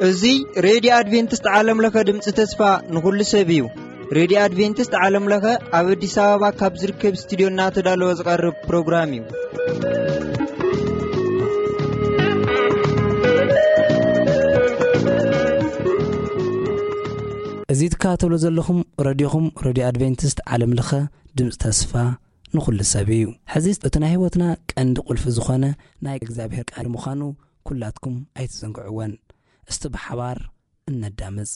እዚ ሬድዮ ኣድቬንቲስት ዓለም ለኸ ድምፂ ተስፋ ንኹሉ ሰብ እዩ። ሬድዮ ኣድቬንቲስት ዓለም ለኸ ኣብ ኣዲስ ኣበባ ካብ ዝርከብ ስቱዲዮ እናተዳለወ ዝቐርብ ፕሮግራም እዩ። እዚ ትከታተሉ ዘለኹም ረድዮኹም፣ ረድዮ ኣድቬንቲስት ዓለም ለኸ ድምፂ ተስፋ ንኹሉ ሰብ እዩ። ሕዚ እቲ ናይ ህይወትና ቀንዲ ቁልፊ ዝኾነ ናይ እግዚኣብሔር ቃል ምዃኑ ኩላትኩም ኣይትዘንግዕወን። እስቲ ብሓባር እነዳምፅ።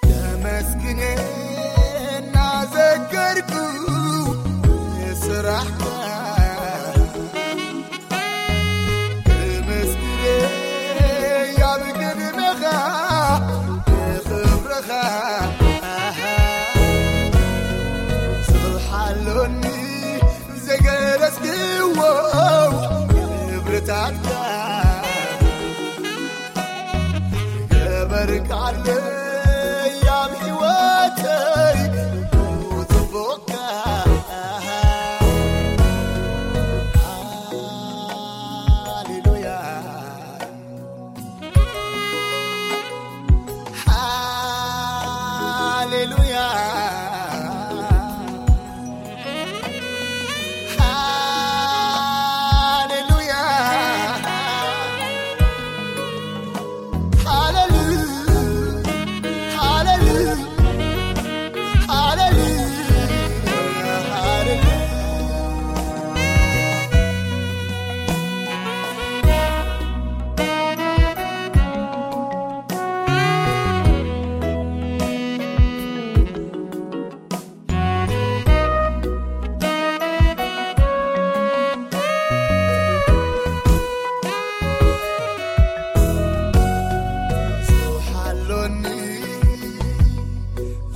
ተመስግን እናዘከርኩ ስራሕካ፣ ተመስግን ኣብ ቅድሜኻ ክብርኻ። ስብሓሎኒ ዘገለጽክዎ ክብርታትካ፣ ገበርካለይ ኣብ ህይወተይ ጽቡቕካ። ሃሌሉያ፣ ሃሌሉያ። ሃሌሉያ፣ ሃሌሉያ፣ ሃሌሉያ፣ ሃሌሉያ።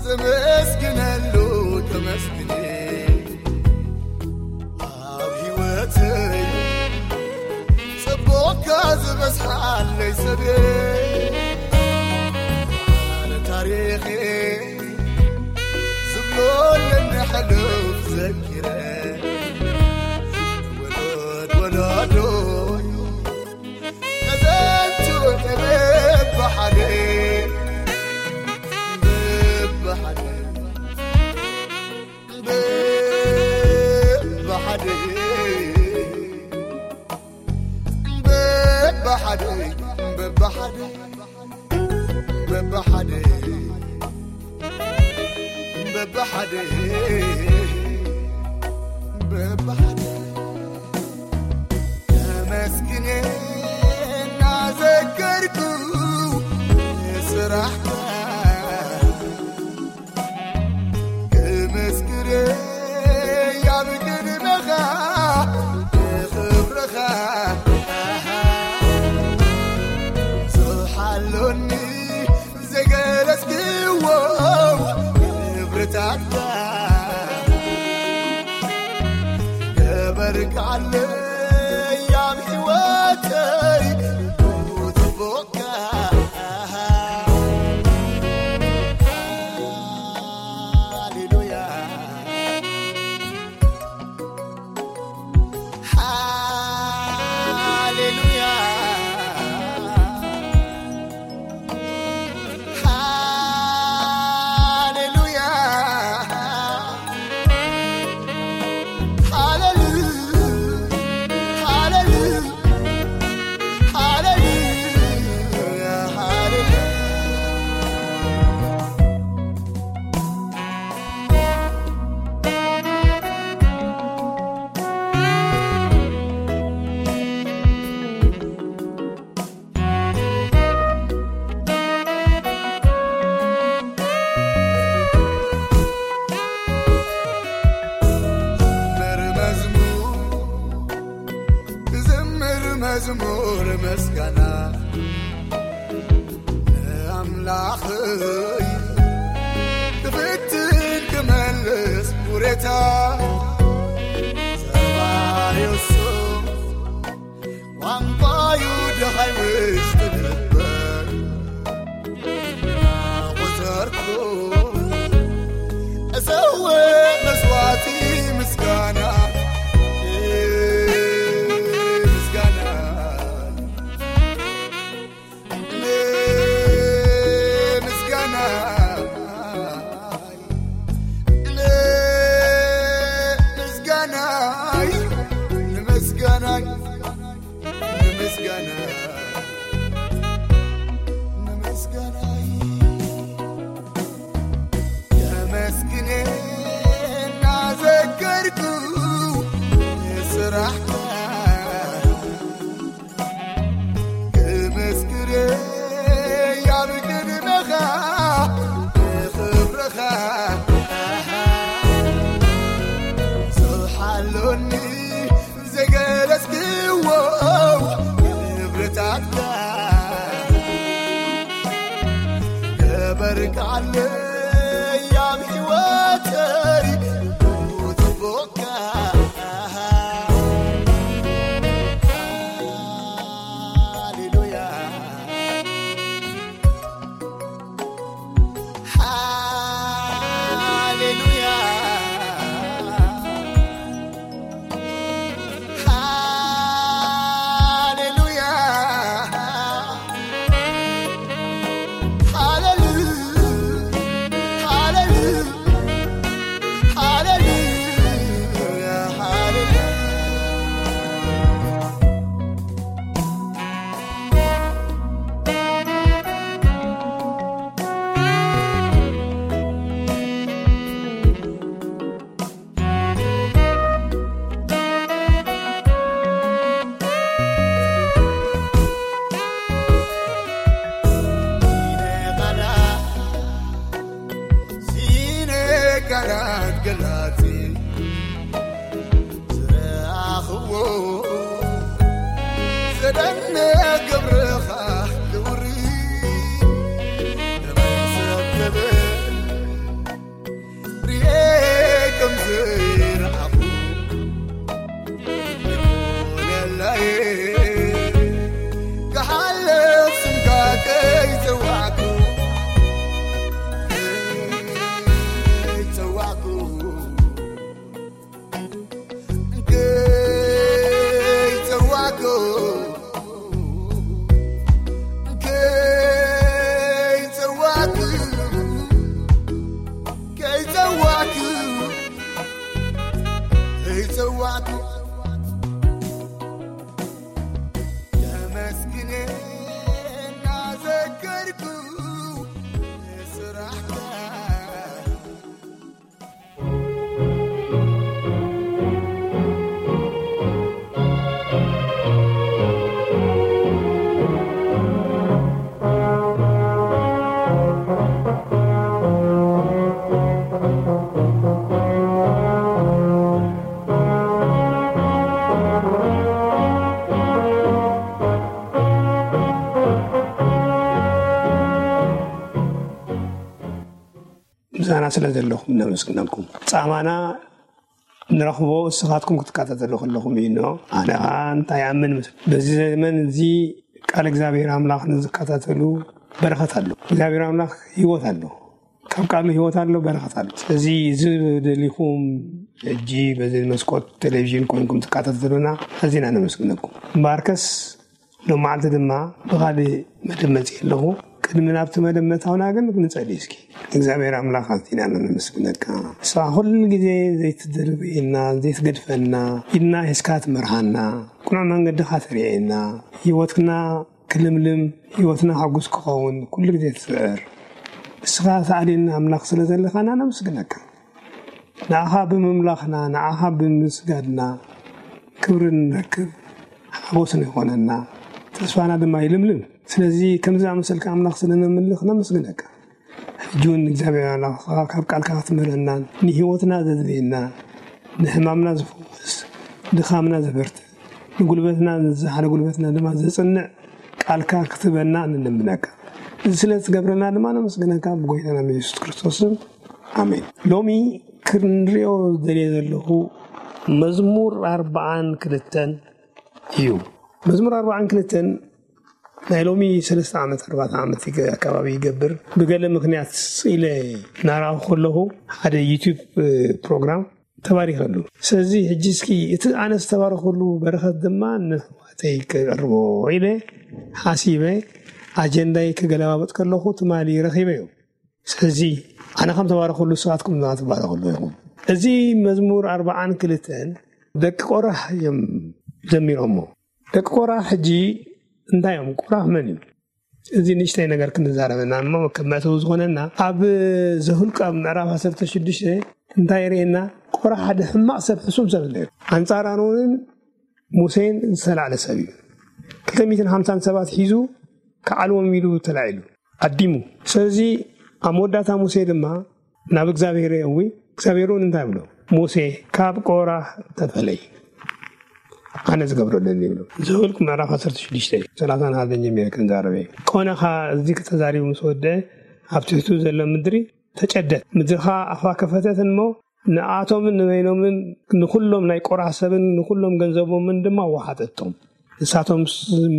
ዘመስግነሉ ተመስግኔ፣ ኣብ ህይወተይ ጽቡቕካ ዝበዝሓለይ ሰብየ፣ ኣነ ታሪኸ ዝብሎ ለኒ ሕሉፍ ዘኪረ፣ ወለድ ወለዶ ተዘንቱ በብሓደ፣ በብሓደ፣ በብሓደ፣ በብሓደ፣ በብሓደ፣ በብሓደ፣ በብሓደ፣ በብሓደ። ተመስግን እናዘከርኩ ስራሕካ፣ ክምስክር ኣብ ቅድመኻ ክብርኻ። ስብሓሎኒ ዘገለጽክዎ ክብርታትካ፣ መዝሙር ምስጋና ንኣምላኽይ፣ ክፍትን ክመልስ ውሬታ፣ ዘባሪ እሱ ቋንቋዩ ደሃይ ውሽጢ ልበይ እናቖጸርኩ እሰውእ መስዋዕቲ ምስጋና፣ ምስጋና፣ ምስጋና፣ ምስጋና፣ ንምስጋናይ፣ ንምስጋና፣ ንምስጋናይ። የመስግን እናዘከርኩ ስራሕካ ክምስክር ኣብ ቅድመኻ ንኽብርኻ ዝሓሎኒ ዘገለጽክዎ ክብርታትካ ገበርካለይ ኣብ ሕይወተይ ጽቡቕካ። ሃሌሉያ፣ ሃሌሉያ፣ ሃሌሉያ፣ ሃሌሉ-፣ ሃሌሉ-፣ ሃሌሉያ፣ ሃሌሉያ። ሲነ ቃላት ገላጺ ዝረኣኽዎ ዘደንቕ ግብርኻ ክውሪ ተመሰገበ። ርኤ ከም ዘይረኣኹ ይኹነለይ፣ ክሓልፍ ስምካ ከይጸዋዕኩ፣ ከይጸዋዕኩ፣ ከይጸዋዕኩ፣ ከይጸዋዕኩ፣ ከይጸዋዕኩ፣ ከይጸዋዕኩ፣ የመስግን እናዘከርኩ ስራሕካ። ምሳና ስለ ዘለኹም ነመስግነኩም። ጻማና ንረኽቦ እስኻትኩም ክትከታተሉ ከለኹም እዩ። ኖ፣ ኣነ ኸኣ እንታይ ይኣምን መስ-፣ በዚ ዘመን እዚ ቃል እግዚኣብሔር ኣምላኽ ንዝከታተሉ በረኸት ኣሎ። እግዚኣብሔር ኣምላኽ ህይወት ኣሎ። ካብ ቃሉ ህይወት ኣሎ፣ በረኸት ኣሎ። ስለዚ እዚ ደሊኹም ሕጂ በዚ መስኮት ቴሌቪዥን ኮይንኩም ትከታተሉና ኣዚና ነመስግነኩም። እምበኣርከስ ሎም መዓልቲ ድማ ብኻልእ መደብ መጺእ ኣለኹ። ቅድሚ ናብቲ መደብ ምእታውና ግን ንጸሊ እስኪ። እግዚኣብሔር ኣምላኽ ኣዚና ነመስግነካ። ንስኻ ኩሉ ግዜ ዘይትድርብየና፣ ዘይትገድፈና፣ ኢድና ሒዝካ ትመርሃና፣ ቅኑዕ መንገድኻ ተርእየና፣ ህይወትና ክልምልም፣ ህይወትና ሕጉስ ክኸውን ኩሉ ግዜ ትጽዕር። ንስኻ ተኣልየና ኣምላኽ ስለ ዘለኻና ነመስግነካ። ንኣኻ ብምምላኽና፣ ንኣኻ ብምስጋድና ክብሪ ንረክብ፣ ሓጎስ ይኾነና፣ ተስፋና ድማ ይልምልም። ስለዚ ከምዚ ዝኣመሰልካ ኣምላኽ ስለ ነምልኽ ነመስግነካ። ሕጂ እውን እግዚኣብሔር ኣምላኽ ካብ ቃልካ ክትምህረናን ንህይወትና ዘድልየና፣ ንሕማምና ዝፈውስ፣ ድኻምና ዘበርትዕ፣ ጉልበትና ዝሓለ ጉልበትና ድማ ዘጽንዕ ቃልካ ክትበና ንልምነካ። እዚ ስለ ትገብረና ድማ ነመስግነካ ብጎይታና ብየሱስ ክርስቶስ ስም፣ ኣሜን። ሎሚ ክንሪኦ ደልየ ዘለኹ መዝሙር ኣርባዓን ክልተን እዩ። መዝሙር ኣርባዓን ክልተን ናይ ሎሚ ሰለስተ ዓመት ኣርባዕተ ዓመት ይገ- ኣካባቢ ይገብር። ብገለ ምክንያት ኢለ እናረኣኹ ከለኹ ሓደ ዩቲዩብ ፕሮግራም ተባሪኸሉ። ስለዚ ሕጂ እስኪ እቲ ኣነ ዝተባረኸሉ በረኸት ድማ ንሕዋተይ ክቕርቦ ኢለ ሓሲበ ኣጀንዳይ ክገለባበጥ ከለኹ ትማሊ ረኺበዮ። ስለዚ ኣነ ከም ተባረኸሉ ንስኻትኩም ድማ ትባረኸሉ ኢኹም። እዚ መዝሙር ኣርባዓን ክልተን ደቂ ቆራህ እዮም ዘሚሮሞ። ደቂ ቆራህ ሕጂ እንታይ እዮም? ቆራህ መን እዩ? እዚ ንእሽተይ ነገር ክንዛረበና እሞ ከም መእተዊ ዝኾነና ኣብ ዘሁልቅ ኣብ ምዕራፍ ዓሰርተ ሽዱሽተ እንታይ የርእየና? ቆራህ ሓደ ሕማቕ ሰብ፣ ሕሱም ሰብ ነይሩ። ኣንጻር ኣሮንን ሙሴን ዝተላዕለ ሰብ እዩ። ክልተ ሚእትን ሓምሳን ሰባት ሒዙ ክዓልዎም ኢሉ ተላዒሉ ኣዲሙ። ስለዚ ኣብ መወዳእታ ሙሴ ድማ ናብ እግዚኣብሔር የእዊ፣ እግዚኣብሔር እውን እንታይ ብሎ? ሙሴ ካብ ቆራህ ተፈለይ፣ ኣነ ዝገብሮ ኣለኒ ይብሎ። ዘውልቅ ምዕራፍ ዓሰርተ ሽዱሽተ ሰላሳ ናሃዘን ጀሚረ ክንዛረበ እዩ። ቆነኻ እዚ ከተዛሪቡ ምስ ወደአ ኣብ ትሕቱ ዘሎ ምድሪ ተጨደት። ምድርኻ ኣፋ ከፈተት እሞ ንኣቶምን ንበይኖምን ንኹሎም ናይ ቆራህ ሰብን ንኹሎም ገንዘቦምን ድማ ወሓጠቶም። ንሳቶም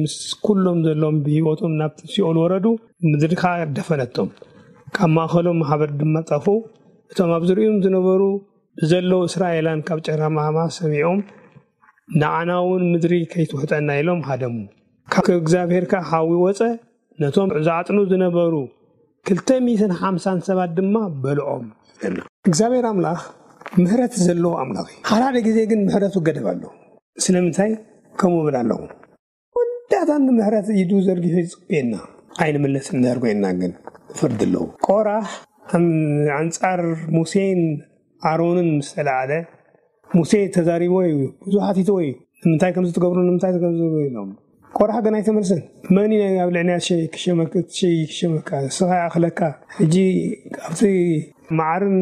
ምስ ኩሎም ዘሎም ብህይወቶም ናብ ሲኦል ወረዱ። ምድሪ ከዓ ደፈነቶም። ካብ ማእኸሎም ማሕበር ድማ ጠፉ። እቶም ኣብ ዝርእዮም ዝነበሩ ብዘለዉ እስራኤላን ካብ ጨራማማ ሰሚዖም ንዓና እውን ምድሪ ከይትውሕጠና ኢሎም ሃደሙ። ካብ እግዚኣብሔር ከዓ ሓዊ ወፀ። ነቶም ዝዓጥኑ ዝነበሩ ክልተ ሚእትን ሓምሳን ሰባት ድማ በልዖም። እግዚኣብሔር ኣምላኽ ምሕረት ዘለዎ ኣምላኽ እዩ። ሓደ ሓደ ግዜ ግን ምሕረቱ ገደብ ኣለዎ። ስለምንታይ ከምኡ ብል ኣለኹ? ወዳእታ ንምሕረት ኢዱ ዘርጊሑ ይጽበየና። ኣይንምለስን እንድሕር ኮይንና ግን ፍርዲ ኣለዎ። ቆራህ ኣን- ኣንጻር ሙሴን ኣሮንን ምስ ተላዓለ ሙሴ ተዛሪቦ እዩ፣ ብዙሓት ይትዎ እዩ። ንምንታይ ከምዚ ትገብሩ፣ ንምንታይ ከምዚ ትገብሩ ኢሎም። ቆራህ ግን ኣይተመልሰን። መን እዩ ኣብ ልዕሊና ሸይ ክሸመክ- ሸይ ክሸመካ? ንስኻ ይኣኽለካ። ሕጂ ኣብቲ መዓርን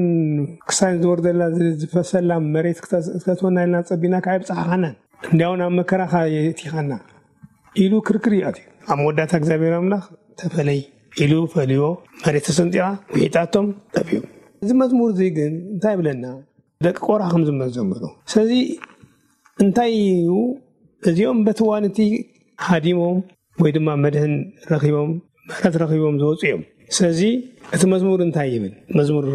ክሳን ዝወርደላ ዝ- ዝፈሰላ መሬት ክተ- ክተትወና ኢልና ጸቢና ከዓ ይብጽሓኻናን። እንዲያው ናብ መከራኻ የእቲኻና ኢሉ ክርክር ይኣትዩ። ኣብ መወዳእታ እግዚኣብሔር ኣምላኽ ተፈለይ ኢሉ ፈልዮ መሬት ተሰንጢቓ ውሒጣቶም ጠፍኡ። እዚ መዝሙር እዚ ግን እንታይ ይብለና? ደቂ ቆራ ከም ዝመዘምሩ። ስለዚ እንታይ እዩ? እዚኦም በቲ እዋን እቲ ሃዲሞም ወይ ድማ መድህን ረኺቦም፣ ምሕረት ረኺቦም ዝወፁ እዮም። ስለዚ እቲ መዝሙር እንታይ ይብል? መዝሙር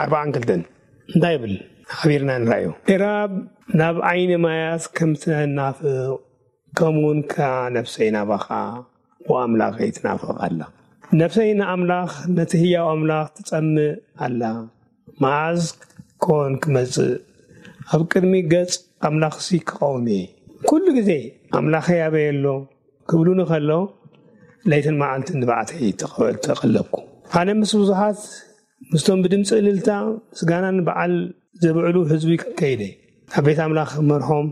ኣርባዓን ክልተን እንታይ ይብል? ሓቢርና ንርኣዮ። ኤራብ ናብ ዓይኒ ማያት ከም ትናፍቕ ከምኡውን ከኣ ነፍሰይ ናባኻ ወኣምላኸይ ትናፍቕ ኣላ። ነፍሰይ ንኣምላኽ ነቲ ህያው ኣምላኽ ትጸምእ ኣላ። መዓዝ ኮን ክመጽእ ኣብ ቅድሚ ገጽ ኣምላኽሲ ክቐውም እየ? ኩሉ ግዜ ኣምላኸይ ኣበይ ኣሎ ክብሉኒ ከሎ ለይትን መዓልትን ንብዓተይ ተቐ- ተቐለብኩ። ኣነ ምስ ብዙሓት ምስቶም ብድምፂ እልልታ ምስጋናን በዓል ዘብዕሉ ህዝቢ ከይደ ኣብ ቤት ኣምላኽ መርሖም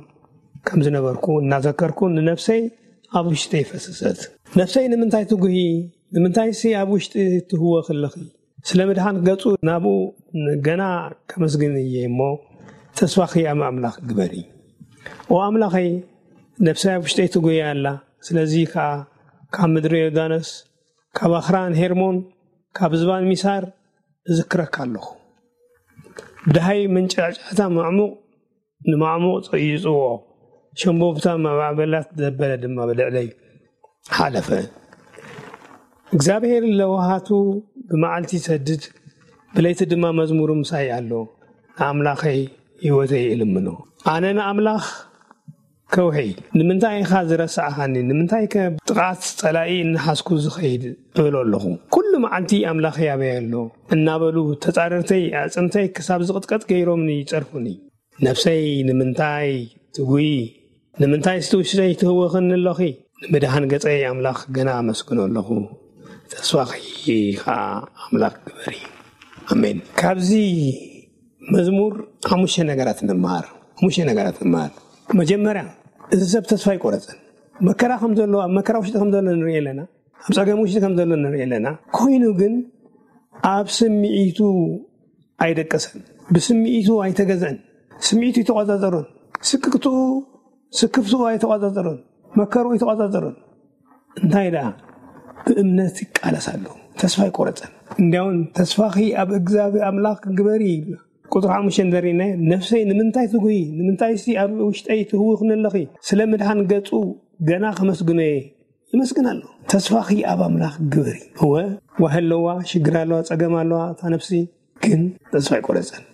ከም ዝነበርኩ እናዘከርኩ ንነፍሰይ ኣብ ውሽጢ ፈሰሰት። ነፍሰይ ንምንታይ ትጉሂ? ንምንታይሲ ኣብ ውሽጢ ትህወኺ ኣለኺ? ስለ ምድሓን ገጹ ናብኡ ገና ከመስግን እየ እሞ ተስፋኺ ኣብ ኣምላኽ ግበሪ። ኦ ኣምላኸይ፣ ነፍሰይ ኣብ ውሽጠይ ትጉሂ ኣላ። ስለዚ ከኣ ካብ ምድሪ ዮርዳኖስ ካብ ኣኽራን ሄርሞን ካብ ዝባን ሚሳር እዝክረካ ኣለኹ። ብደሃይ መንጫዕጫዕታ ማዕሙቕ ንማዕሙቕ ይጽውዖ፣ ሸምቦብታ ማዕበላት ዘበለ ድማ ብልዕለይ ሓለፈ። እግዚኣብሔር ለዋሃቱ ብመዓልቲ ይሰድድ፣ ብለይቲ ድማ መዝሙሩ ምሳይ ኣሎ። ንኣምላኸይ ህይወተይ እልምኖ። ኣነ ንኣምላኽ ከውሒ፣ ንምንታይ ኢኻ ዝረሳዕኻኒ? ንምንታይ ከ ጥቓት ጸላኢ እናሓዝኩ ዝኸይድ? እብሎ ኣለኹ። ኩሉ መዓልቲ ኣምላኸይ ኣበይ ኣሎ? እናበሉ ተጻረርተይ ኣዕጽምተይ ክሳብ ዝቕጥቀጥ ገይሮምኒ ይጸርፉኒ። ነፍሰይ ንምንታይ ትጉይ? ንምንታይ ስቲ ውሽጠይ ትህወኽኒ ኣለኺ? ንምድሓን ገጸይ ኣምላኽ ገና ኣመስግኖ ኣለኹ። ተስፋኺ ኸዓ ኣምላኽ ግበሪ። ኣሜን። ካብዚ መዝሙር ሓሙሽተ ነገራት ንምሃር። ሓሙሽተ ነገራት ንምሃር። መጀመርያ፣ እዚ ሰብ ተስፋ ኣይቆረጸን። መከራ ከም ዘሎ፣ ኣብ መከራ ውሽጢ ከም ዘሎ ንርኢ ኣለና። ኣብ ጸገም ውሽጢ ከም ዘሎ ንርኢ ኣለና። ኮይኑ ግን ኣብ ስምዒቱ ኣይደቀሰን። ብስምዒቱ ኣይተገዝአን። ስምዒቱ ኣይተቆጻጸሮን። ስቅቅትኡ ስክፍትኡ ኣይተቋጻጸሮን፣ መከርኡ ኣይተቋጻጸሮን። እንታይ ደኣ? ብእምነት ይቃለስ ኣሎ፣ ተስፋ ኣይቆረጸን። እንዲያውም "ተስፋኺ ኣብ እግዚኣብሔር ኣምላኽ ግበሪ" ይብላ። ቁጽሪ ሓሙሽተ እንተሪእናዮ፣ "ነፍሰይ ንምንታይ ትጉሂ? ንምንታይሲ ኣብ ውሽጠይ ትህውኽኒ ኣለኺ? ስለ ምድሓን ገጹ ገና ከመስግኖ እየ። ይመስግን ኣሎ። ተስፋኺ ኣብ ኣምላኽ ግበሪ።" እወ፣ ዋህ ኣለዋ፣ ሽግር ኣለዋ፣ ጸገም ኣለዋ እታ ነፍሲ፣ ግን ተስፋ ኣይቆረጸን።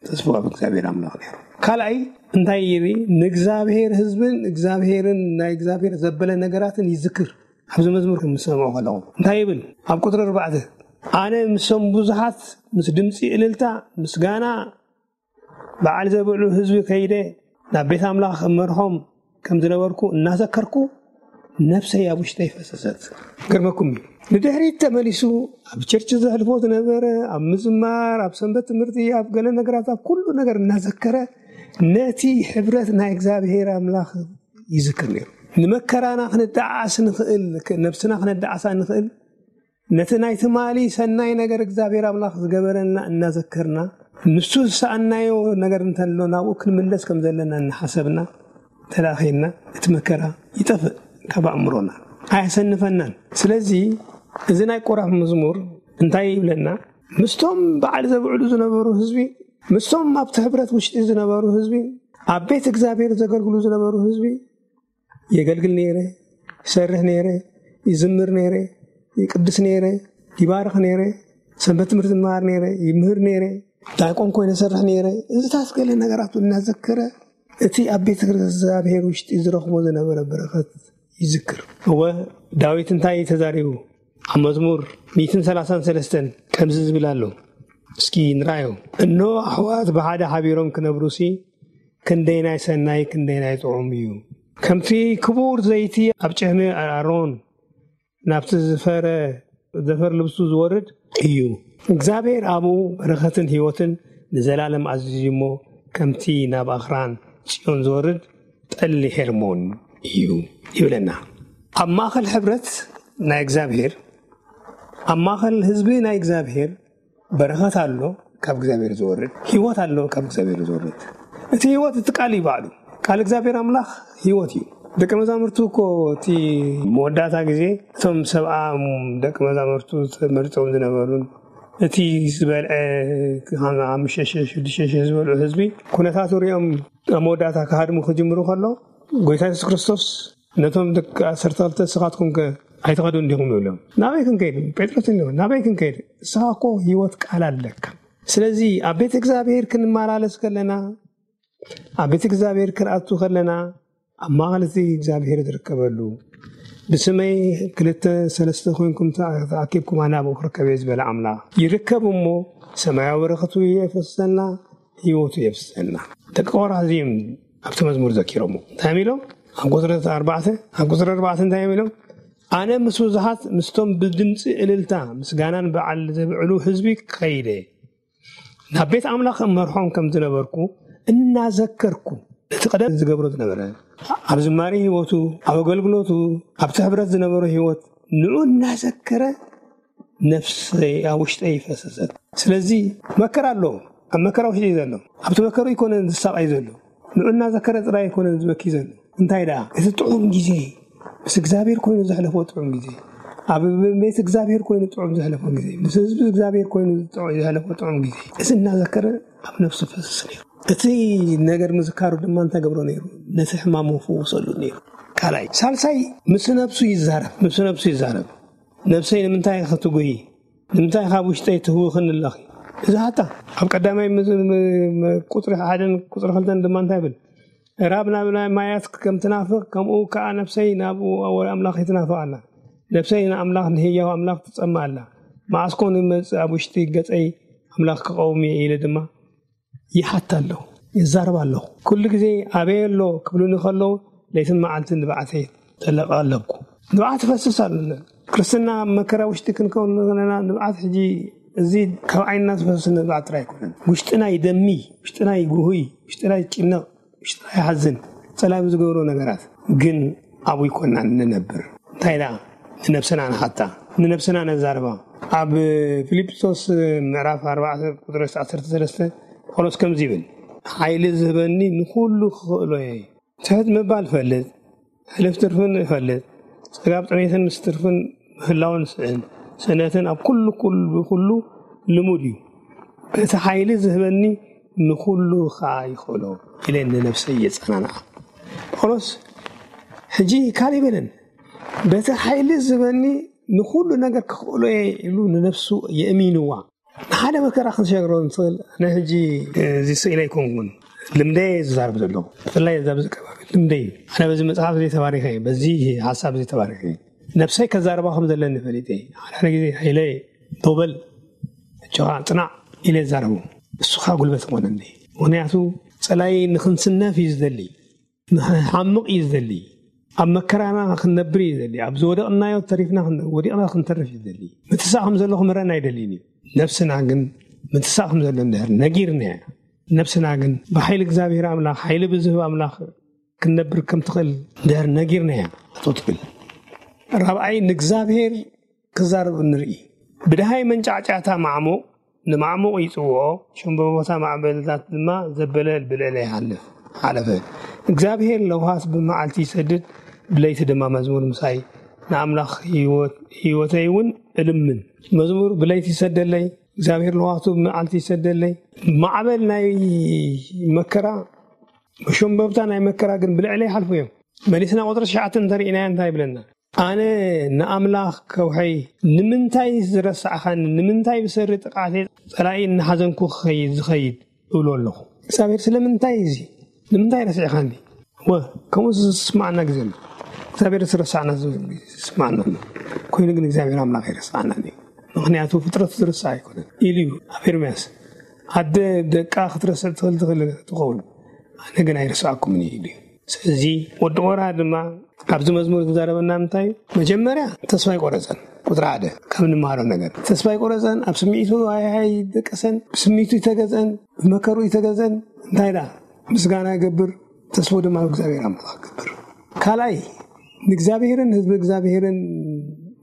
ተስፋ ኣብ እግዚኣብሔር ኣምላኽ ነይሩ። ካልኣይ እንታይ ይርኢ? ንእግዚኣብሔር ህዝብን እግዚኣብሔርን ናይ እግዚኣብሔር ዘበለ ነገራትን ይዝክር። ኣብዚ መዝሙር ከም ዝሰምዑ ከለኹ እንታይ ይብል? ኣብ ቁጽሪ ኣርባዕተ፣ "ኣነ ምስቶም ብዙሓት ምስ ድምጺ እልልታ ምስጋና በዓል ዘብዕሉ ህዝቢ ከይደ ናብ ቤት ኣምላኽ እመርሖም ከም ዝነበርኩ እናዘከርኩ ነፍሰይ ኣብ ውሽጠይ ፈሰሰት።" ገርመኩም እዩ። ንድሕሪት ተመሊሱ ኣብ ቸርች ዘሕልፎ ዝነበረ፣ ኣብ ምዝማር፣ ኣብ ሰንበት ትምህርቲ፣ ኣብ ገለ ነገራት፣ ኣብ ኩሉ ነገር እናዘከረ ነቲ ሕብረት ናይ እግዚኣብሔር ኣምላኽ ይዝክር ነይሩ። ንመከራና ክንደዓስ ንኽእል፣ ነብስና ክነደዓሳ ንኽእል፣ ነቲ ናይ ትማሊ ሰናይ ነገር እግዚኣብሔር ኣምላኽ ዝገበረልና እናዘከርና፣ ንሱ ዝሰኣናዮ ነገር እንተሎ ናብኡ ክንምለስ ከም ዘለና እናሓሰብና ተዳኺልና፣ እቲ መከራ ይጠፍእ ካብ ኣእምሮና፣ ኣየሰንፈናን። ስለዚ እዚ ናይ ቆራፍ መዝሙር እንታይ ይብለና? ምስቶም በዓል ዘብዕሉ ዝነበሩ ህዝቢ፣ ምስቶም ኣብቲ ሕብረት ውሽጢ ዝነበሩ ህዝቢ፣ ኣብ ቤት እግዚኣብሔር ዘገልግሉ ዝነበሩ ህዝቢ፣ የገልግል ነይረ፣ ይሰርሕ ነይረ፣ ይዝምር ነይረ፣ ይቅድስ ነይረ፣ ይባርኽ ነይረ፣ ሰንበት ትምህርቲ ይመሃር ነይረ፣ ይምህር ነይረ፣ ዳቆን ኮይነ ሰርሕ ነይረ። እዚታት ገለ ነገራቱ እናዘከረ እቲ ኣብ ቤት እግዚኣብሔር ውሽጢ ዝረኽቦ ዝነበረ በረኸት ይዝክር። እወ፣ ዳዊት እንታይ ተዛሪቡ? ኣብ መዝሙር ሚእትን ሰላሳን ሰለስተን ከምዚ ዝብል ኣሎ። እስኪ ንርኣዮ። "እኖ ኣሕዋት ብሓደ ሓቢሮም ክነብሩሲ፣ ክንደይናይ ሰናይ፣ ክንደይናይ ጥዑም እዩ። ከምቲ ክቡር ዘይቲ ኣብ ጭሕሚ ኣሮን ናብቲ ዝፈረ ዘፈር ልብሱ ዝወርድ እዩ። እግዚኣብሔር ኣብኡ በረኸትን ህይወትን ንዘላለም ኣዚዙ እሞ፣ ከምቲ ናብ ኣኽራን ጽዮን ዝወርድ ጠሊ ሄርሞን እዩ" ይብለና። ኣብ ማእከል ሕብረት ናይ እግዚኣብሔር፣ ኣብ ማእከል ህዝቢ ናይ እግዚኣብሔር በረኸት ኣሎ ካብ እግዚኣብሔር ዝወርድ፣ ህይወት ኣሎ ካብ እግዚኣብሔር ዝወርድ። እቲ ህይወት እቲ ቃል እዩ ባዕሉ። ቃል እግዚኣብሔር ኣምላኽ ህይወት እዩ። ደቂ መዛሙርቱ እኮ እቲ መወዳእታ ግዜ እቶም ሰብዓ ደቂ መዛሙርቱ ተመሪጾም ዝነበሩን እቲ ዝበልዐ ሓሙሽተ ሽሕ ሽዱሽተ ሽሕ ዝበልዑ ህዝቢ ኩነታቱ ሪኦም ኣብ መወዳእታ ክሃድሙ ክጅምሩ ከሎ ጎይታ የሱስ ክርስቶስ ነቶም ደቂ ዓሰርተ ክልተ "ንስኻትኩም ከ ኣይትኸዱን ዲኹም?" ይብሎም። "ናበይ ክንከይድ?" ጴጥሮስ ይብሎም፣ "ናበይ ክንከይድ? ንስኻ እኮ ህይወት ቃል ኣለካ። ስለዚ ኣብ ቤት እግዚኣብሔር ክንመላለስ ከለና፣ ኣብ ቤት እግዚኣብሔር ክንኣቱ ከለና፣ ኣብ ማእከል እቲ እግዚኣብሔር ዝርከበሉ፣ ብስመይ ክልተ ሰለስተ ኮይንኩም ተኣ-፣ ተኣኪብኩም ኣነ ኣብኡ ክርከብ እየ ዝበለ ኣምላኽ ይርከብ እሞ፣ ሰማያዊ በረኸቱ የፍሰልና፣ ህይወቱ የፍሰልና።" ደቂ ቆራ እዚኦም ኣብቲ መዝሙር ዘኪሮሞ። እንታይ እዮም ኢሎም? ኣብ ቁጽሪ ኣርባዕተ፣ ኣብ ቁጽሪ ኣርባዕተ እንታይ እዮም ኢሎም? "ኣነ ምስ ብዙሓት፣ ምስቶም ብድምጺ እልልታ ምስጋናን በዓል ዘብዕሉ ህዝቢ ከይደ፣ ናብ ቤት ኣምላኽ እመርሖም ከም ዝነበርኩ እናዘከርኩ፣ እቲ ቀደም ዝገብሮ ዝነበረ፣ ኣብ ዝማሬ ህይወቱ፣ ኣብ ኣገልግሎቱ፣ ኣብቲ ሕብረት ዝነበሮ ህይወት፣ ንዑ እናዘከረ ነፍሰይ ኣብ ውሽጠይ ፈሰሰት።" ስለዚ መከራ ኣሎ፣ ኣብ መከራ ውሽጢ እዩ ዘሎ። ኣብቲ መከራ ኣይኮነን ዝሳቐይ ዘሎ፣ ንዑ እናዘከረ ጥራይ ኣይኮነን ዝበኪ ዘሎ። እንታይ ደኣ? እቲ ጥዑም ግዜ፣ ምስ እግዚኣብሔር ኮይኑ ዘሕለፎ ጥዑም ግዜ፣ ኣብ ቤት እግዚኣብሔር ኮይኑ ጥዑም ዘሕለፎ ግዜ፣ ምስ ህዝቢ እግዚኣብሔር ኮይኑ ጥዑ-፣ ዘሕለፎ ጥዑም ግዜ፣ እዚ እናዘከረ ኣብ ነፍሱ ፈስስ ነይሩ። እቲ ነገር ምዝካሩ ድማ እንታይ ገብሮ ነይሩ? ነቲ ሕማሙ ፈውሰሉ ነይሩ። ካልኣይ። ሳልሳይ፣ ምስ ነፍሱ ይዛረብ፣ ምስ ነፍሱ ይዛረብ። "ነፍሰይ ንምንታይ ኢኺ ትጉሂ? ንምንታይ ካብ ውሽጠይ ትህውኽኒ ኣለኺ?" እዚ ሓታ ኣብ ቀዳማይ ምስ-፣ ም-፣ ም-፣ ቁጽሪ ሓደን ቁጽሪ ክልተን ድማ እንታይ ይብል? "ራብ ናብ ናይ ማያት ከም ትናፍቕ፣ ከምኡ ከኣ ነፍሰይ ናብኡ ኣምላኽ ትናፍቕ ኣላ። ነፍሰይ ንኣምላኽ፣ ንህያው ኣምላኽ ትጸምእ ኣላ። መዓስ ኮን ይመጽእ ኣብ ውሽጢ ገጸይ ኣምላኽ ክቐውም እየ?" ኢለ ድማ ይሓት ኣለኹ፣ ይዛረብ ኣለኹ። ኩሉ ግዜ "ኣበይ ኣሎ?" ክብሉኒ ከለዉ፣ ለይትን መዓልትን ንብዓተይ ጠለቕ ኣለኩ። ንብዓት ይፈስስ ኣሎ። ክርስትና ኣብ መከራ ውሽጢ ክንከውን ከለና፣ ንብዓት ሕጂ እዚ ካብ ዓይንና ዝፈስስ ንብዓት ጥራይ ኣይኮነን። ውሽጥና ይደሚ፣ ውሽጥና ይጉህይ፣ ውሽጥና ይጭነቕ፣ ውሽጥና ይሓዝን። ጸላም ዝገብሮ ነገራት ግን ኣብኡ ይኮንና ንነብር። እንታይ ደኣ ንነብስና ንሓታ፣ ንነብስና ነዛርባ። ኣብ ፊልጵስዩስ ምዕራፍ ኣርባዕተ ቁጽሪ ዓሰርተ ሰለስተ ጳውሎስ ከምዚ ይብል፣ "ሓይሊ ዝህበኒ ንኹሉ ክኽእሎ እየ፣ ትሕት ምባል እፈልጥ፣ ሕልፍ ትርፍን እፈልጥ፣ ጸጋብ ጥሜትን ምስ ትርፍን ምህላውን ስእን ስእነትን ኣብ ኩሉ ኩሉ ኩሉ ልሙድ እዩ። በቲ ሓይሊ ዝህበኒ ንኹሉ ኸኣ ይኽእሎ ኢለ ንነብሰይ የጸናንዓ። ጳውሎስ ሕጂ ካልእ ይበለን፣ በቲ ሓይሊ ዝህበኒ ንኹሉ ነገር ክኽእሎ እየ ኢሉ ንነብሱ የእሚንዋ። ንሓደ መከራ ክንሸግሮ ንኽእል። ኣነ ሕጂ እዚ ስኢለ ኣይኮንኩን፣ ልምደየ ዝዛረብ ዘለኹ። ብፍላይ እዛ ኣብዚ ከባቢ ልምደይ። ኣነ በዚ መጽሓፍ እዚ ተባሪኸ እየ፣ በዚ ሓሳብ እዚ ተባሪኸ እየ። ነብሰይ ከዛርባ ከም ዘለኒ ፈሊጠ እየ። ሓደ ሓደ ግዜ ሓይለ ዶበል፣ እጆኻ ጽናዕ ኢለ ይዛረቡ። እሱ ኸኣ ጉልበት ይኾነኒ። ምኽንያቱ ጸላኢ ንኽንስነፍ እዩ ዝደሊ። ንኽንሓምቕ እዩ ዝደሊ። ኣብ መከራና ክንነብር እዩ ዝደሊ። ኣብ ዝወደቕናዮ ተሪፍና ክንደ-፣ ወዲቕና ክንተርፍ እዩ ዝደሊ። ምትሳእ ከም ዘሎ ክምህረና ኣይደልይን እዩ። ነብስና ግን ምትሳእ ከም ዘሎ እንድሕር ነጊርናያ፣ ነብስና ግን ብሓይሊ እግዚኣብሔር ኣምላኽ፣ ሓይሊ ብዝህብ ኣምላኽ ክንነብር ከም ትኽእል እንድሕር ነጊርናያ፣ ጠጠው ትብል። ራብዓይ፣ ንእግዚኣብሔር ክዛረብ ንርኢ። ብድሃይ መንጫዕጫዕታ ማዕሙቕ ንማዕሙቕ ይጽውዖ፣ ሸምበቦታ ማዕበልታት ድማ ዘበለ ብልዕለ ይሓልፍ ሓለፈ። እግዚኣብሔር ለውሃት ብመዓልቲ ይሰድድ፣ ብለይቲ ድማ መዝሙር ምሳይ ንኣምላኽ ህይወት-፣ ህይወተይ እውን እልምን። መዝሙር ብለይቲ ይሰደለይ፣ እግዚኣብሔር ለውሃቱ ብመዓልቲ ይሰደለይ። ማዕበል ናይ መከራ፣ መሸምበብታ ናይ መከራ ግን ብልዕለ ይሓልፉ እዮም። መሊስና ቁጥሪ ትሽዓተ እንተርኢናዮ እንታይ ይብለና? ኣነ ንኣምላኽ ከውሐይ ንምንታይ ዝረሳዕኻኒ? ንምንታይ ብሰሪ ጥቕዓተይ ጸላኢ እናሓዘንኩ ክኸይድ፣ ዝኸይድ እብሎ ኣለኹ። እግዚኣብሔር ስለምንታይ እዚ? ንምንታይ ረሲዕኻኒ? ወ-፣ ከምኡ ዝስማዓና ግዜ ኣሎ። እግዚኣብሔር ዝረሳዕና ዝስማዓና ኣሎ። ኮይኑ ግን እግዚኣብሔር ኣምላኽ ኣይረሳዕናን እዩ። ምኽንያቱ ፍጥረቱ ዝረሳዕ ኣይኮነን ኢሉ እዩ ኣብ ኤርምያስ። ኣደ ደቃ ክትረስዕ ትኽእል ትኽእል ትኸውን፣ ኣነ ግን ኣይረሳዕኩምን እዩ ኢሉ እዩ። ስለዚ ወዲ ቆርሃ ድማ ኣብዚ መዝሙር ዝዛረበና እንታይ እዩ? መጀመርያ ተስፋ ኣይቆረጸን። ቁጥሪ ሓደ ካብ እንመሃሮ ነገር፣ ተስፋ ኣይቆረጸን። ኣብ ስምዒቱ ኣይ-፣ ኣይደቀሰን። ብስምዒቱ ይተገዘን፣ ብመከሩ ይተገዘን። እንታይ ደኣ? ምስጋና ይገብር፣ ተስፋ ድማ ኣብ እግዚኣብሔር ኣምላኽ ይገብር። ካልኣይ፣ ንእግዚኣብሔርን ህዝቢ እግዚኣብሔርን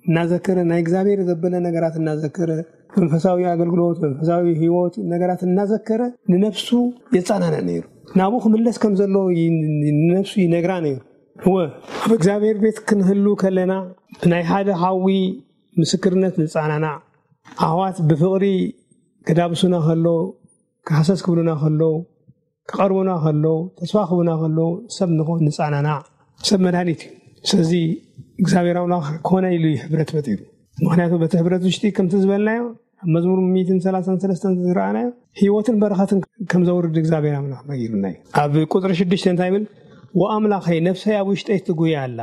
እናዘከረ፣ ናይ እግዚኣብሔር ዘበለ ነገራት እናዘከረ፣ መንፈሳዊ ኣገልግሎት፣ መንፈሳዊ ህይወት ነገራት እናዘከረ ንነፍሱ የጸናንዕ ነይሩ። ናብኡ ክምለስ ከም ዘለዎ ይ-፣ ንነፍሱ ይነግራ ነይሩ። እወ፣ ኣብ እግዚኣብሔር ቤት ክንህሉ ከለና ብናይ ሓደ ሓዊ ምስክርነት ንጸናናዕ። ኣሕዋት ብፍቕሪ ክዳብሱና ከለዉ፣ ሃሰስ ክብሉና ከለዉ፣ ክቐርቡና ከለዉ፣ ተስፋ ክህቡና ከለዉ፣ ሰብ ንኾ-፣ ንጸናናዕ። ሰብ መድሃኒት እዩ። ስለዚ እግዚኣብሔር ኣምላኽ ኮነ ኢሉ እዩ ሕብረት ፈጢሩ። ምኽንያቱ በቲ ሕብረት ውሽጢ ከምቲ ዝበልናዮ፣ ኣብ መዝሙር ሚእትን ሰላሳን ሰለስተን ዝረኣናዮ፣ ህይወትን በረኸትን ከም ዘውርድ እግዚኣብሔር ኣምላኽ ነጊሩና እዩ። ኣብ ቁጽሪ ሽዱሽተ እንታይ ይብል? "ወኣምላኸይ፣ ነፍሰይ ኣብ ውሽጠይ ትጉይ ኣላ።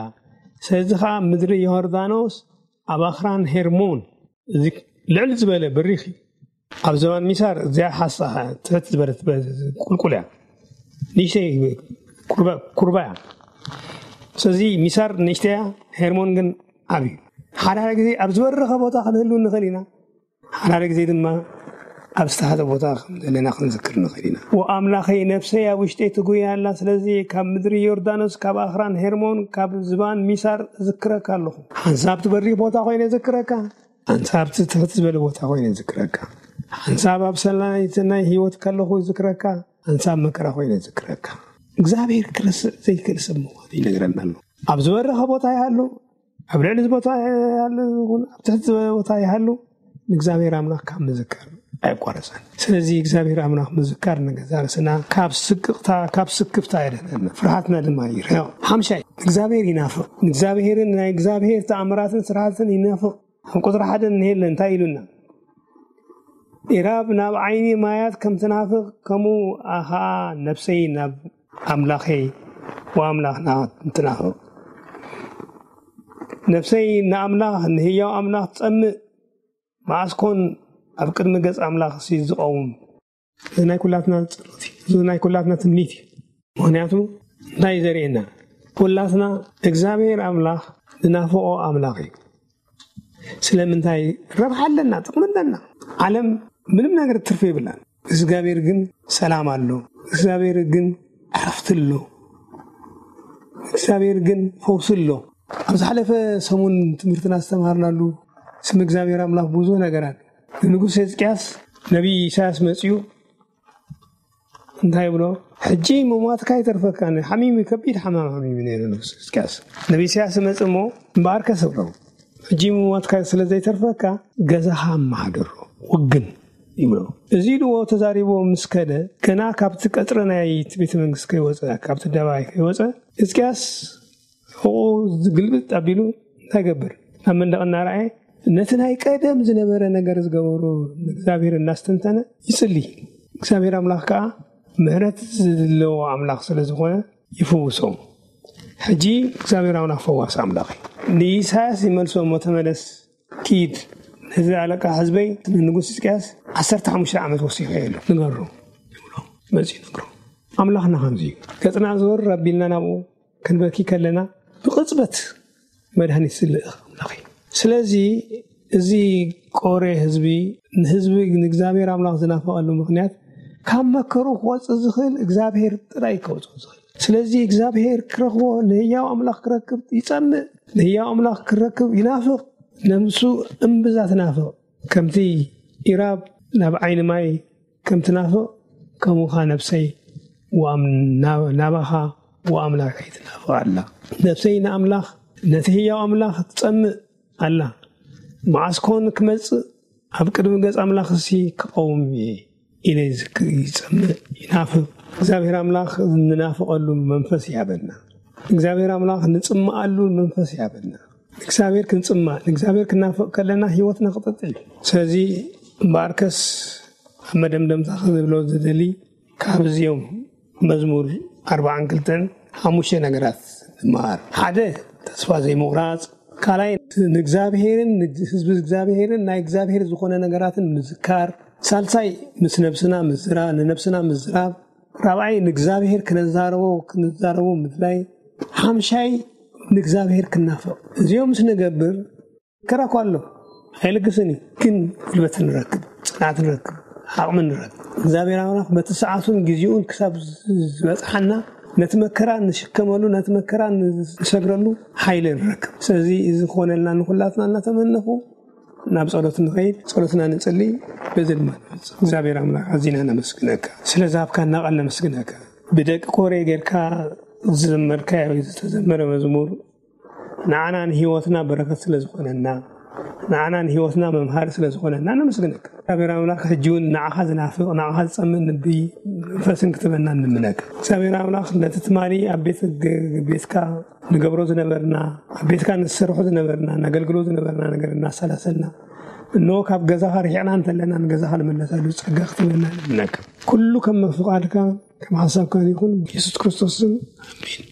ስለዚ ኸኣ ምድሪ ዮርዳኖስ፣ ኣብ ኣኽራን ሄርሞን"፣ እዚ ልዕል ዝበለ በሪኽ እዩ። ኣብ ዘባን ሚሳር እዚኣ ሓሳ ትሕት ዝበለት በ-፣ ቁልቁል እያ። ንእሽተይ ኩርባ-፣ ኩርባ እያ። ስለዚ ሚሳር ንእሽተይ እያ፣ ሄርሞን ግን ዓብዩ። ሓደ ሓደ ግዜ ኣብ ዝበረኸ ቦታ ክንህሉ ንኽእል ኢና። ሓደ ሓደ ግዜ ድማ ኣብ ዝተሓተ ቦታ ከም ዘለና ክንዝክር ንኽእል ኢና። "ወኣምላኸይ፣ ነፍሰይ ኣብ ውሽጠይ ትጉይ ኣላ፣ ስለዚ ካብ ምድሪ ዮርዳኖስ፣ ካብ ኣኽራን ሄርሞን፣ ካብ ዝባን ሚሳር እዝክረካ ኣለኹ።" ሓንሳብ እቲ በሪኽ ቦታ ኮይነ እዝክረካ፣ ሓንሳብ እቲ ትሕት ዝበለ ቦታ ኮይነ እዝክረካ፣ ሓንሳብ ኣብ ሰናይት ናይ ህይወት ከለኹ እዝክረካ፣ ሓንሳብ መከራ ኮይነ እዝክረካ። እግዚኣብሔር ክርስዕ ዘይክእል ሰብ ምዃኑ ይነግረና ኣሎ። ኣብ ዝበረኸ ቦታ ይሃሉ፣ ኣብ ልዕሊ እዚ ቦታ ይሃሉ ይኹን፣ ኣብ ትሕቲ ዝበለ ቦታ ይሃሉ፣ ንእግዚኣብሔር ኣምላኽ ካብ ምዝካር ኣይቋረጸን። ስለዚ እግዚኣብሔር ኣምላኽ ምዝካር ንገዛ ርእስና ካብ ስቅቕታ፣ ካብ ስክፍታ የድሕነና፣ ፍርሃትና ድማ ይርሕቕ። ሓምሻይ፣ እግዚኣብሔር ይናፍቕ። ንእግዚኣብሔርን ናይ እግዚኣብሔር ተኣምራትን ስራሕትን ይናፍቕ። ኣብ ቁጽሪ ሓደ እንሄለ እንታይ ኢሉና? "ኢራብ ናብ ዓይኒ ማያት ከም ትናፍቕ፣ ከምኡ ኸኣ ነፍሰይ ናብ ኣምላኸይ ወኣምላኽና ትናፍቕ።" ነፍሰይ ንኣምላኽ፣ ንህያው ኣምላኽ ትጸምእ፣ መዓስ ኮን ኣብ ቅድሚ ገጽ ኣምላኽሲ ዝቐውም? እዚ ናይ ኩላትና ጸሎት እዩ። እዚ ናይ ኩላትና ትምኒት እዩ። ምኽንያቱ እንታይ እዩ ዘርእየና? ኩላትና እግዚኣብሔር ኣምላኽ ዝናፍቖ ኣምላኽ እዩ። ስለምንታይ? ረብሓ ኣለና፣ ጥቕሚ ኣለና። ዓለም ምንም ነገር ትርፊ የብላን። እግዚኣብሔር ግን ሰላም ኣሎ። እግዚኣብሔር ግን ዕረፍቲ ኣሎ። እግዚኣብሔር ግን ፈውሲ ኣሎ። ኣብ ዝሓለፈ ሰሙን ትምህርትና ዝተምሃርናሉ ስም እግዚኣብሔር ኣምላኽ ብዙሕ ነገር ኣሎ። ንንጉስ ሕዝቅያስ ነቢይ ኢሳያስ መጺኡ እንታይ ይብሎ? ሕጂ ምሟትካ ይተርፈካ። ሓሚሙ፣ ከቢድ ሓማም ሓሚሙ ነይሩ ንጉስ ሕዝቅያስ። ነቢ ኢሳያስ መጽእ እሞ፣ እምበኣርከ ስብረው፣ ሕጂ ምሟትካ ስለ ዘይተርፈካ፣ ገዛኻ ኣመሓድሮ፣ ውግን ይብሎ። እዚ ኢልዎ ተዛሪቦ ምስ ከደ፣ ገና ካብቲ ቀጽሪ ናይ ቤተ መንግስቲ ከይወጸ፣ ካብቲ ኣደባባይ ከይወጸ፣ ሕዝቅያስ ሕቑኡ ግልብጥ ኣቢሉ እንታይ ይገብር? ኣብ መንደቕ እናረኣየ፣ ነቲ ናይ ቀደም ዝነበረ ነገር ዝገበሩ ንእግዚኣብሔር እናስተንተነ ይጽሊ። እግዚኣብሔር ኣምላኽ ከኣ ምሕረት ዘለዎ ኣምላኽ ስለ ዝኾነ ይፍውሶም። ሕጂ እግዚኣብሔር ኣምላኽ ፈዋሲ ኣምላኽ እዩ። ንኢሳያስ ይመልሶ እሞ፣ "ተመለስ፣ ኪድ፣ ነዚ ኣለቃ ህዝበይ ንንጉስ ሕዝቅያስ ዓሰርተ ሓሙሽተ ዓመት ወሲኸ ኣሎ፣ ንገሮ" ይብሎ። መጺኡ ይነግሮ። ኣምላኽና ከምዚ እዩ። ገጽና ዞር ኣቢልና ናብኡ ክንበኪ ከለና፣ ብቕጽበት መድሃኒት ዝልእኽ ኣምላኽ እዩ። ስለዚ እዚ ቆሬ ህዝቢ፣ ንህዝቢ ንእግዚኣብሔር ኣምላኽ ዝናፈቐሉ ምኽንያት፣ ካብ መከሩ ክወጽእ ዝኽእል እግዚኣብሔር ጥራይ ከውጽኦ ዝኽእል። ስለዚ እግዚኣብሔር ክረኽቦ፣ ንህያው ኣምላኽ ክረክብ ይጸምእ፣ ንህያው ኣምላኽ ክረክብ ይናፍቕ። ነብሱ እምብዛ ትናፍቕ። ከምቲ ኢራብ ናብ ዓይኒ ማይ ከም ትናፍቕ፣ ከምኡ ኸኣ ነብሰይ ወኣም-፣ ናብ-፣ ናባኻ ወኣምላኸይ ትናፍቕ ኣላ። ነብሰይ ንኣምላኽ፣ ነቲ ህያው ኣምላኽ ትጸምእ ኣላ። መዓስ ኮን ክመጽእ፣ ኣብ ቅድሚ ገጽ ኣምላኽሲ ክቐውም እየ ኢለ ዝክ-፣ ይጸምእ፣ ይናፍቕ። እግዚኣብሔር ኣምላኽ ንናፍቐሉ መንፈስ ይሃበና። እግዚኣብሔር ኣምላኽ ንጽምኣሉ መንፈስ ይሃበና። ንእግዚኣብሔር ክንጽማእ፣ ንእግዚኣብሔር ክናፍቕ ከለና ህይወትና ክቕጽል እዩ። ስለዚ እምበኣርከስ ኣብ መደምደምታ ክንብሎ ዝደሊ፣ ካብ እዚኦም መዝሙር ኣርባዓን ክልተን ሓሙሽተ ነገራት ንመሃር። ሓደ፣ ተስፋ ዘይምቑራጽ። ካልኣይ፣ ንእግዚኣብሔርን ንህዝቢ እግዚኣብሔርን ናይ እግዚኣብሔር ዝኾነ ነገራትን ምዝካር። ሳልሳይ፣ ምስ ነብስና ምዝራ-፣ ንነብስና ምዝራብ። ራብዓይ፣ ንእግዚኣብሔር ክነዛረቦ፣ ክንዛረቦ ምድላይ። ሓምሻይ፣ ንእግዚኣብሔር ክናፍቕ። እዚኦም ምስ ንገብር፣ መከራ እኳ ኣሎ፣ ኣይልግስን እዩ፣ ግን ጉልበት ንረክብ፣ ጽንዓት ንረክብ፣ ዓቕሚ ንረክብ። እግዚኣብሔር ኣምላኽ በቲ ሰዓቱን ግዜኡን ክሳብ ዝበጽሓና፣ ነቲ መከራ ንሽከመሉ፣ ነቲ መከራ ንሰግረሉ ሓይሊ ንረክብ። ስለዚ እዚ ክኾነልና ንኹላትና እናተመነኹ፣ ናብ ጸሎት ንኸይድ፣ ጸሎትና ንጽሊ፣ በዚ ድማ ንፍጽም። እግዚኣብሔር ኣምላኽ ኣዚና ነመስግነካ። ስለ ዝሃብካና ቃል ነመስግነካ። ብደቂ ኮሬ ጌርካ ዝዘመርካዮ ዝተዘመረ መዝሙር ንዓና ንህይወትና በረከት ስለ ዝኾነና፣ ንዓና ንህይወትና መምሃሪ ስለ ዝኾነና ነመስግነካ። እግዚኣብሔር ኣምላኽ ሕጂ እውን ንዓኻ ዝናፍቕ፣ ንዓኻ ዝጸምእ ልቢ መንፈስን ክትበና ንምነካ። እግዚኣብሔር ኣምላኽ ነቲ ትማሊ ኣብ ቤት ግ-፣ ቤትካ ንገብሮ ዝነበርና፣ ኣብ ቤትካ ንሰርሖ ዝነበርና፣ ነገልግሎ ዝነበርና ነገር እናሰላሰልና፣ እንሆ ካብ ገዛኻ ርሒቕና እንተለና ንገዛኻ ንመለሰሉ ጸጋ ክትበና ንምነካ። ኩሉ ከም ፍቓድካ ከም ሓሳብካን ይኹን፣ ብየሱስ ክርስቶስ ስም፣ ኣሜን።